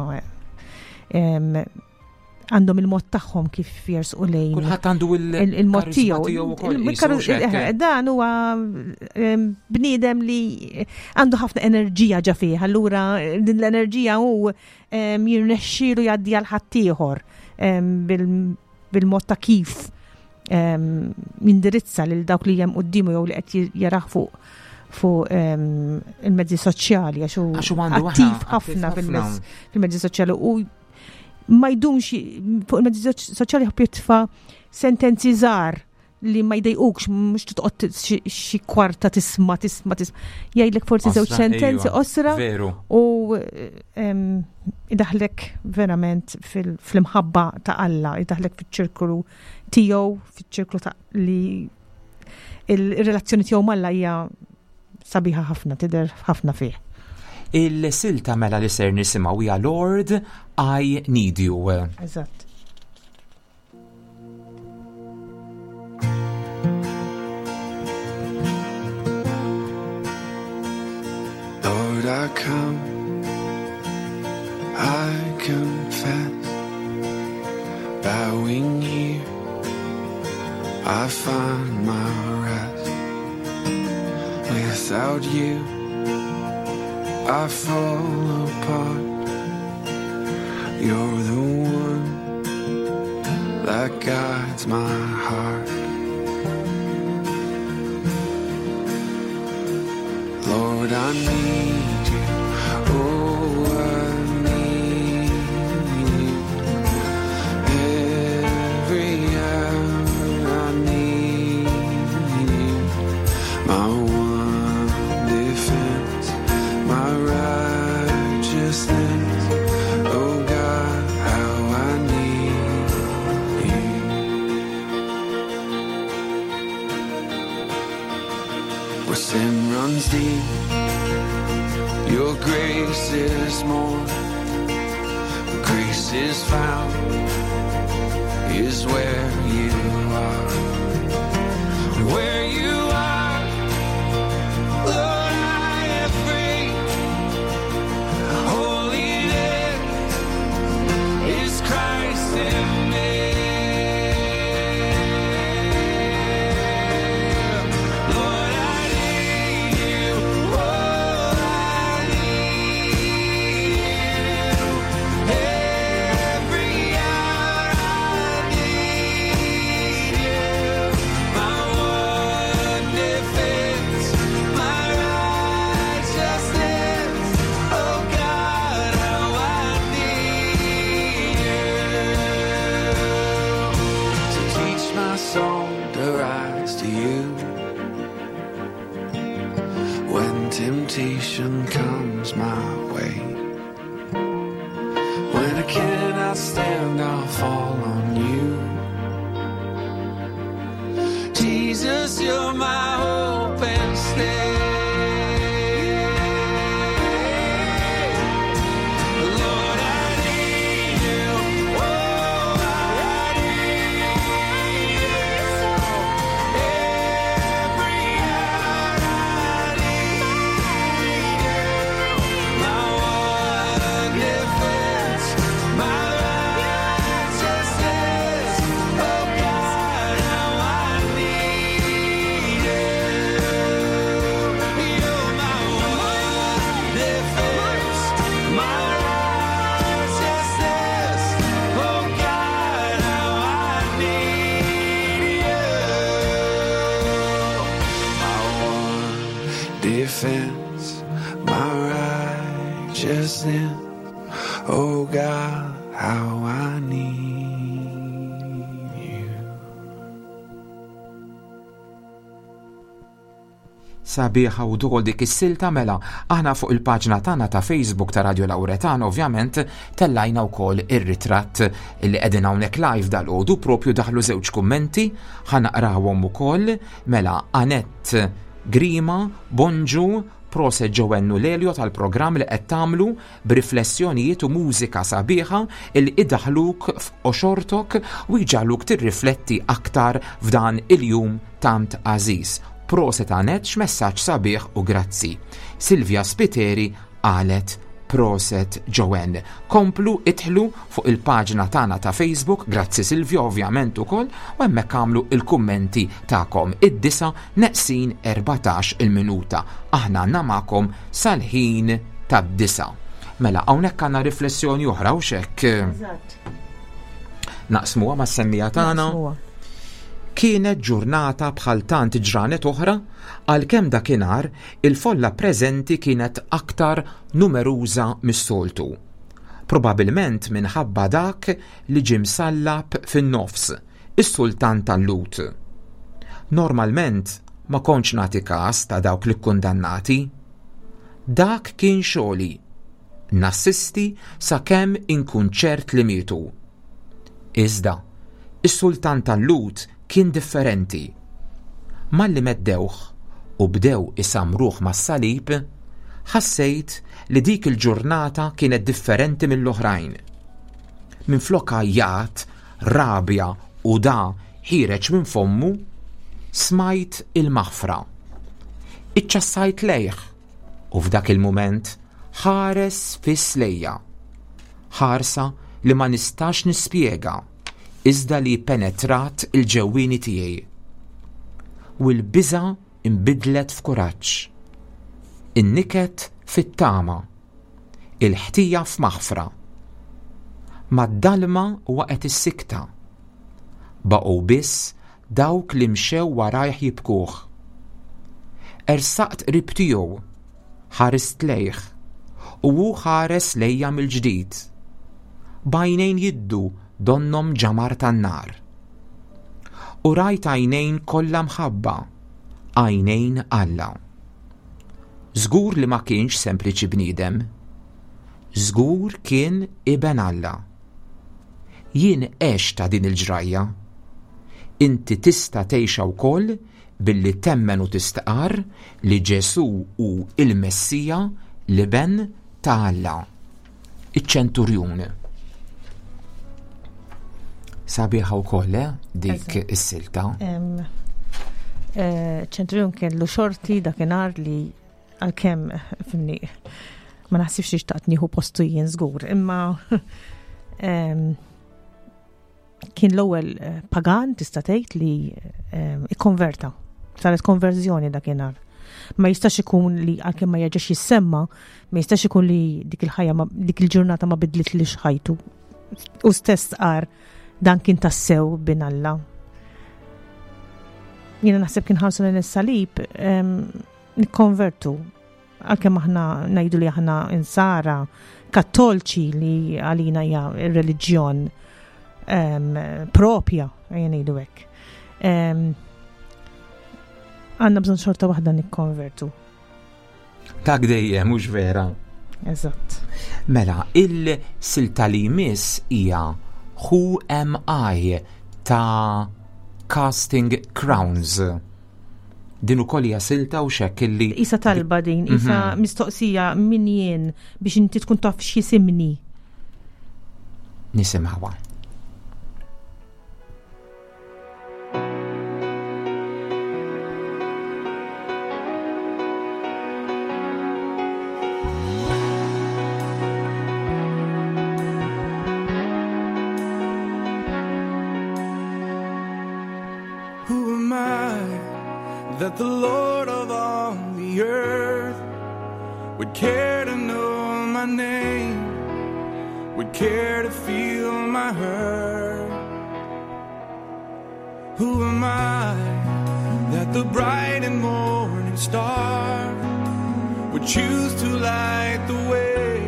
għandhom il-mod tagħhom kif jersqu lejn. Kulħadd għandu il-mod tiegħu. Eh, dan huwa bniedem li għandu ħafna enerġija ġa fih, allura din l-enerġija hu jirnexxielu jgħaddi għal ħaddieħor bil-mod ta' kif jindirizza lil dawk li hemm quddiemu jew li qed jarah fuq fuq il-mezzi soċjali għax hu għandu attiv ħafna fil-mezzi soċjali u ma jdumx fuq il-mezzi soċjali ħobb jitfa' sentenzi żgħar li ma jdejqukx mhux titqgħod xi kwarta tisma' tisma' tisma' jgħidlek forsi żewġ sentenzi iva, qosra u idaħlek verament fl-imħabba ta' Alla, idaħlek fiċ-ċirkolu tiegħu, fiċ-ċirklu ta' li il-relazzjoni tiegħu m'Alla hija sabiħa ħafna, tidher ħafna fih. Il-silta mela li ser nisimgħu hija Lord I Need You. Eżatt. Lord, I come, I confess, bowing here, I find my rest. Without you, I fall apart. You're the one that guides my heart. Lord, I need you. Oh, I need you. Every hour I need you. My one defense, my righteousness. Oh God, how I need you. Where sin runs deep, your grace is more. Grace is found, is where you are. Where you are, Lord, I am free. Holiness is Christ in me. Lord, I need you. Oh, I need you. Every hour I need you. My one When temptation comes my way. When I cannot stand, I'll fall on you. Jesus, you're my hope and stay. Lord, I need you. Oh, I need you. Every hour I need you. My one defense, my righteousness. Oh God, how I need you. You're my one defense, my righteousness. Oh God, how I need you. My one defense, my righteousness. Oh God, how I need you. Sabiħa u dol dik is-silta mela aħna fuq il-paġna tagħna ta' Facebook ta' Radio Lauretana ovvjament tellajna wkoll ir-ritratt li qegħdin hawnhekk live dal-għodu propju daħlu żewġ kummenti ħa naqrawhom ukoll mela Anett Grima, Bonġu, Proset Joanne u Lelio tal-programm li qed tagħmlu b'riflessjonijiet u mużika sabiħa li idaħluk f'qoxortok u jġagħluk tirrifletti aktar f'dan il-jum tant għażiż. Proset Anett x'messaġġ sabiħ u grazzi. Silvia Spiteri qalet proset Joanne. Komplu idħlu fuq il-paġna tagħna ta' Facebook, grazzi Silvia ovvjament ukoll, u hemmhekk għamlu il-kummenti tagħkom id-disa neqsin 14 il-minuta. Aħna għandna magħkom sal-ħin tad-disa. Mela, hawnhekk għandna riflessjoni oħra u xek. Eżatt. Naqsmuha mas-semmija tagħna. Naqsmuha. Kienet ġurnata bħal tant ġranet oħra, għalkemm dakinhar il-folla preżenti kienet aktar numeruża mis-soltu. Probabilment minħabba dak li ġie msallab fin-nofs, is-sultan tal-Lhud. Normalment ma kontx nagħti każ ta' dawk li kkundannati. Dak kien xogħli, nassisti sakemm inkun ċert li mietu. Iżda, is-sultan tal-Lhud kien differenti. Malli meddewh u bdew isamruh mas-salib, ħassejt li dik il-ġurnata kienet differenti mill-oħrajn. Minflok għajjat, rabja u da ħireġ minn fommu, smajt il-maħfra. Iċċassajt lejh u f'dak il-mument ħares fiss lejja. Ħarsa li ma nistax nispjega, iżda li penetrat il-ġewwieni tiegħi. U l-biża' inbidlet f'kuraġġ. In-niket fit-tama. Il-ħtija f'maħfra. Mad-dalma waqgħet is-sikta. Baqgħu biss dawk li mxew warajh jibkuh. Ersaqt qrib tiegħu, ħarist lejh, u hu ħares lejja mill-ġdid. B'għajnejn jiddu donnhom ġamar tan-nar. U rajt għajnejn kollha mħabba, għajnejn Alla. Żgur li ma kienx sempliċi bniedem. Żgur kien iben Alla. Jien għext ta' din il-ġrajja. Inti tista' tgħixha wkoll billi temmen u tistqarr li Ġesù hu il-Messija, l-Iben ta' Alla. Iċ-ċenturjun. Sabiħa wkoll, dik is-silta. Ċenturjun kellu xorti dakinhar li għalkemm fimni ma naħsibx li xtaqt nieħu postu jien żgur, imma kien l-ewwel pagan tista' tgħid li ikkonverta. Saret konverżjoni dakinhar. Ma jistax ikun li għalkemm ma jerġax jissemma, ma jistax ikun li dik il-ħajja ma, dik il-ġurnata ma bidlit li xħajtu. U stess qar dan kien tassew bin Alla. Jiena naħseb kien ħarsu lejn is-salib, nikkonvertu. Għalkemm aħna ngħidu li aħna insara kattolċi li għalina hija r-reliġjon propja, ejja ngħidu hekk. Għandna bżonn xorta waħda nikkonvertu. Dak dejjem mhux vera. Eżatt. Mela, il-silta li jmiss hija Who Am I ta' Casting Crowns. Din ukoll hija silta u xekk illi. Isa talba din, isa mhm. mistoqsija min jien biex inti tkun taf x'jisimni. Nisimgħuha. Who am I that the Lord of all the earth would care to know my name, would care to feel my hurt? Who am I that the bright and morning star would choose to light the way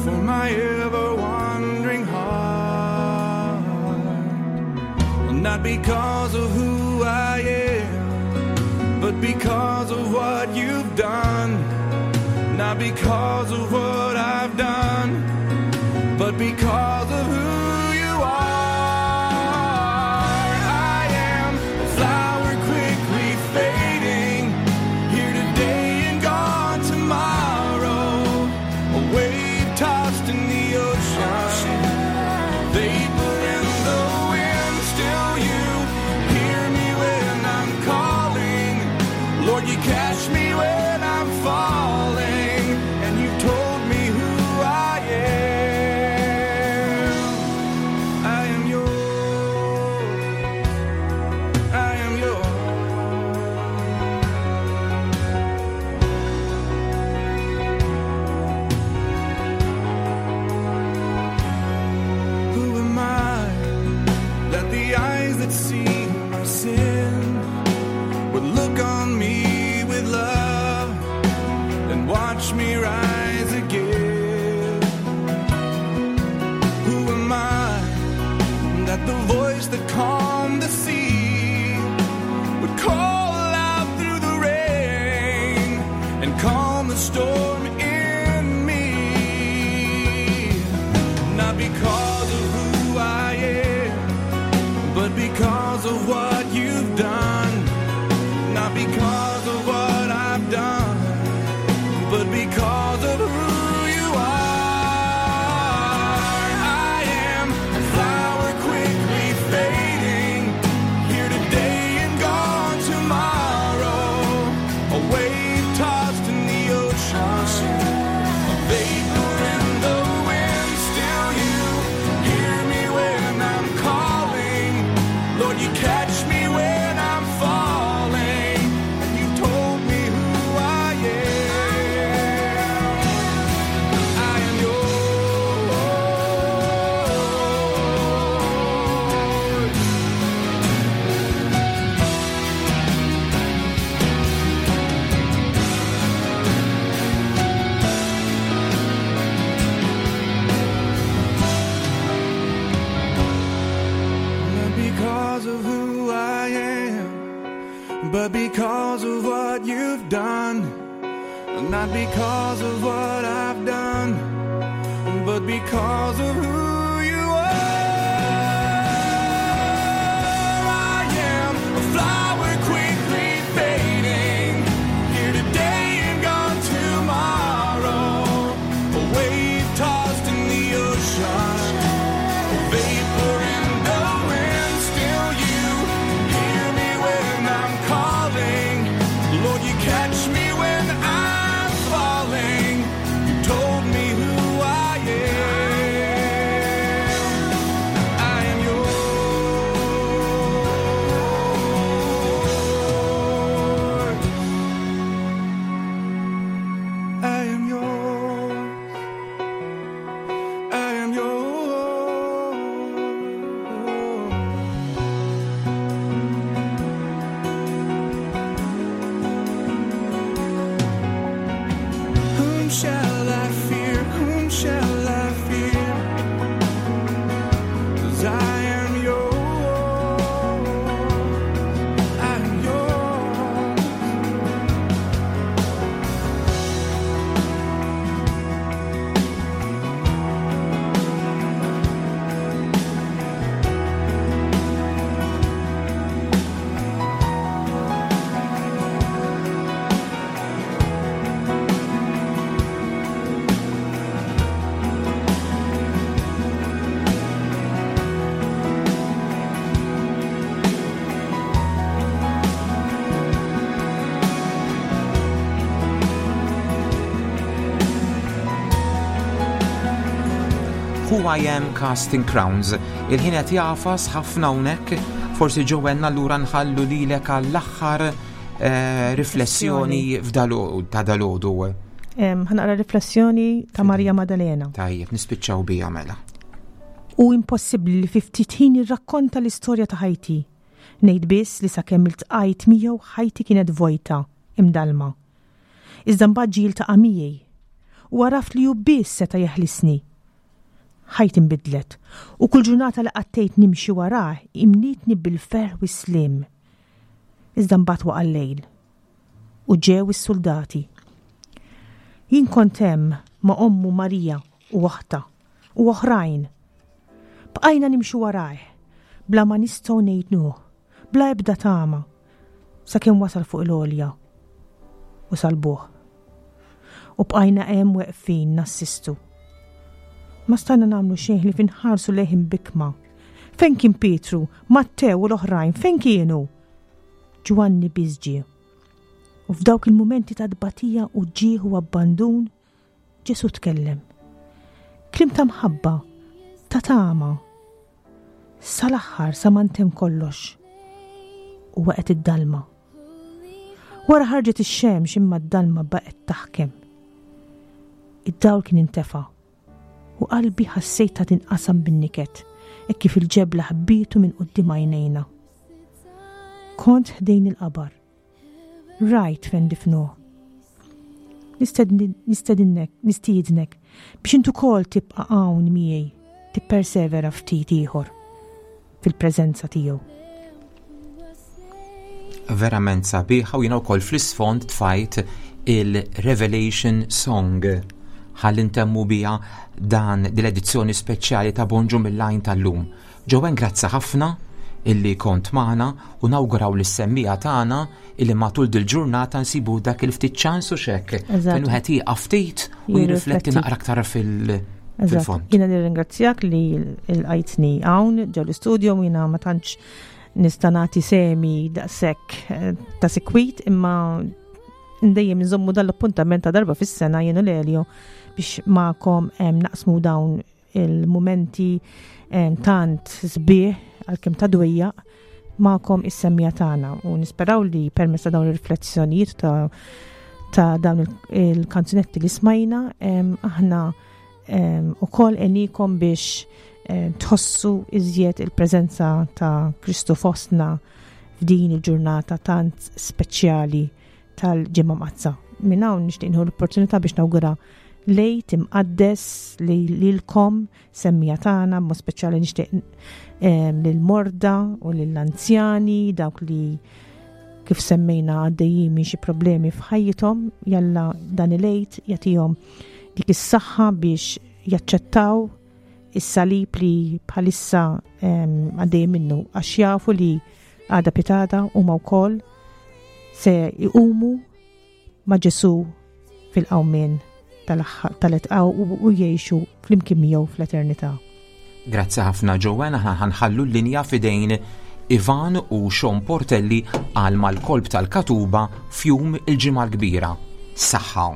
for my ever wandering heart? Not because of who I am, but because of what you've done. Not because of what I've done, but because of who you are. I am a flower quickly fading, here today and gone tomorrow. A wave tossed in the ocean, vapor in the wind. Still you hear me when I'm calling. Lord, you catch me when I'm falling, and you told me who I am. I am yours. I am yours. Who am I that the eyes that see my sin would look on me with love and watch me rise again? Who am I that the voice that calmed the sea would call out through the rain and calm the storm in me? Not because of who I am, but because of what you've done. Not because of what I've done, but because of who you are. I am a flower quickly fading, here today and gone tomorrow. A wave tossed in the ocean, a vapor in the wind. Still you hear me when I'm calling. Lord, you catch me when I'm falling, and you told me who I am. I am yours. Not because of who I am, but because of what you've done. Not because of what I've done, but because of who you are. I am a flower quickly fading, here today and gone tomorrow. A wave tossed in the ocean, a vapor in the wind. Still you hear me when I'm calling. Lord, you catch me when I'm falling. You told me who I am. I am yours. I am yours. I am yours. Who I Am Casting Crowns. Il-ħin qed jagħfas ħafna hawnhekk, forsi Joanne allura nħallu lilek għall-aħħar eh, riflessjoni ta' dalodu. Ħanaqra riflessjoni ta' Marija Maddalena. Tajjeb, nispiċċaw bija mela. U impossibbli li fi ftit ħin irrakkonta l-istorja ta' ħajti. Ngħid biss li sakemm iltqajt miegħu ħajti kienet vojta, imdallma. Iżda mbagħad ġie jiltaqa' miegħi. U għaraft li hu biss seta' jeħlisni. Ħajti nbidlet, u kull ġurnata li qattejt nimxi warah imlietni bil-ferħ u s-sliem. Iżda mbagħad waqa' l-lejl. U ġew is-suldati. Jien kont hemm ma' ommu Marija u oħtha u oħrajn. Bqajna nimxu warajh, bla ma nistgħu ngħinuh, bla ebda tama, sakemm wasal fuq il-għolja u salbuh. U bqajna hemm weqfin nassistu. Ma stajna nagħmlu xejn ħlief inħarsu lejh imbikkma. Fejn kien Pietru, Mattew u l-oħrajn, fejn kienu? Ġwanni biss ġie. U f'dawk il-mumenti ta' tbatija u ġieħ u abbandun, Ġesù tkellem. Kliem ta' mħabba, ta' tama. Sal-aħħar sa ma ntemm kollox. U waqgħet id-dalma. Wara ħarġet ix-xemx imma d-dalma baqgħet taħkem. Id-dawl kien intefa' u qalbi ħassejtha tinqasam bin-niket hekk kif il-ġebla ħbietu minn quddiem għajnejna. Kont ħdejn il-qabar. Rajt fejn difnuh. Nistedinnek, nistiednek biex int ukoll tibqa' hawn miegħi, tippersevera ftit ieħor fil-preżenza tiegħu. Verament sabiħa u jiena wkoll fl-isfond tfajt il-Revelation Song ħalli ntemmu biha dan dil-edizzjoni speċjali ta' Bonġu mill-Għajn tal-lum. Joanne grazzi ħafna illi kont magħna u nawguraw lis-semmiegħa tagħna illi matul dil-ġurnata nsibu dak il-ftit ċans u xekk fejn wieħed jieqaf ftit u jirrifletti naqra aktar fil- fil-fond. Jiena nirringrazzjak li l-qajtni hawn ġew l-istudio jiena ma tantx nista' nagħti semi daqshekk eh, ta' sikwit imma ndejjem nżommu dal-appuntament ta' darba fis-sena jien u l-Elio biex magħkom eh, naqsmu dawn il-mumenti tant sbieħ għalkemm ta' dwejjaq magħkom is-semmija tagħna u nisperaw li permezz ta' dawn ir-riflessjonijiet ta' ta' dawn il-kanzunetti li smajna aħna ukoll għenikom biex tħossu iżjed il-preżenza ta' Kristu fostna f'din il-ġurnata tant speċjali tal-Ġimgħa Mqaddsa. Minn hawn nixtieq nieħu l-opportunità biex nawgura lejt imqaddes li lilkom semmija tagħna, b'mod speċjali nixtieq ehm, lill-morda u lill-anzjani, dawk li kif semmejna għaddejjin minn xi problemi f'ħajjithom, jalla dan il-lejt jagħtihom dik is-saħħa biex jaċċettaw is-salib li bħalissa ehm, għaddejjin minnu għax jafu li Għada pitgħada huma wkoll se jqumu ma' Ġesù fil-qawmien tal-etqaw u jgħixu flimkien miegħu fl-eternità. Grazzi ħafna Joanne, aħna ħanħallu l-linja f'idejn Ivan u Sean Portelli għal mal-kolb tal-Katuba f'jum il-Ġimgħa l-Kbira. Saħħa!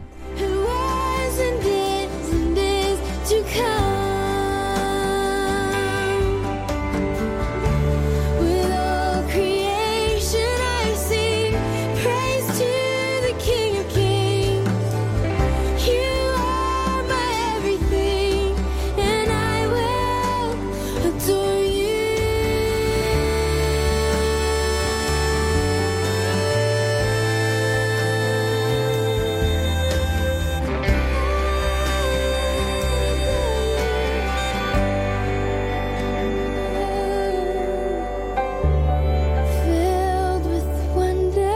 Filled with wonder,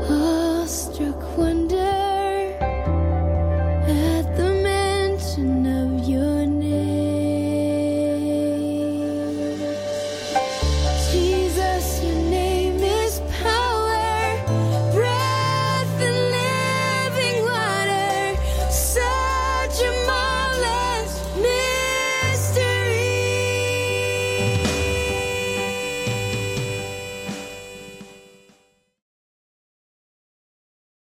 awestruck wonder.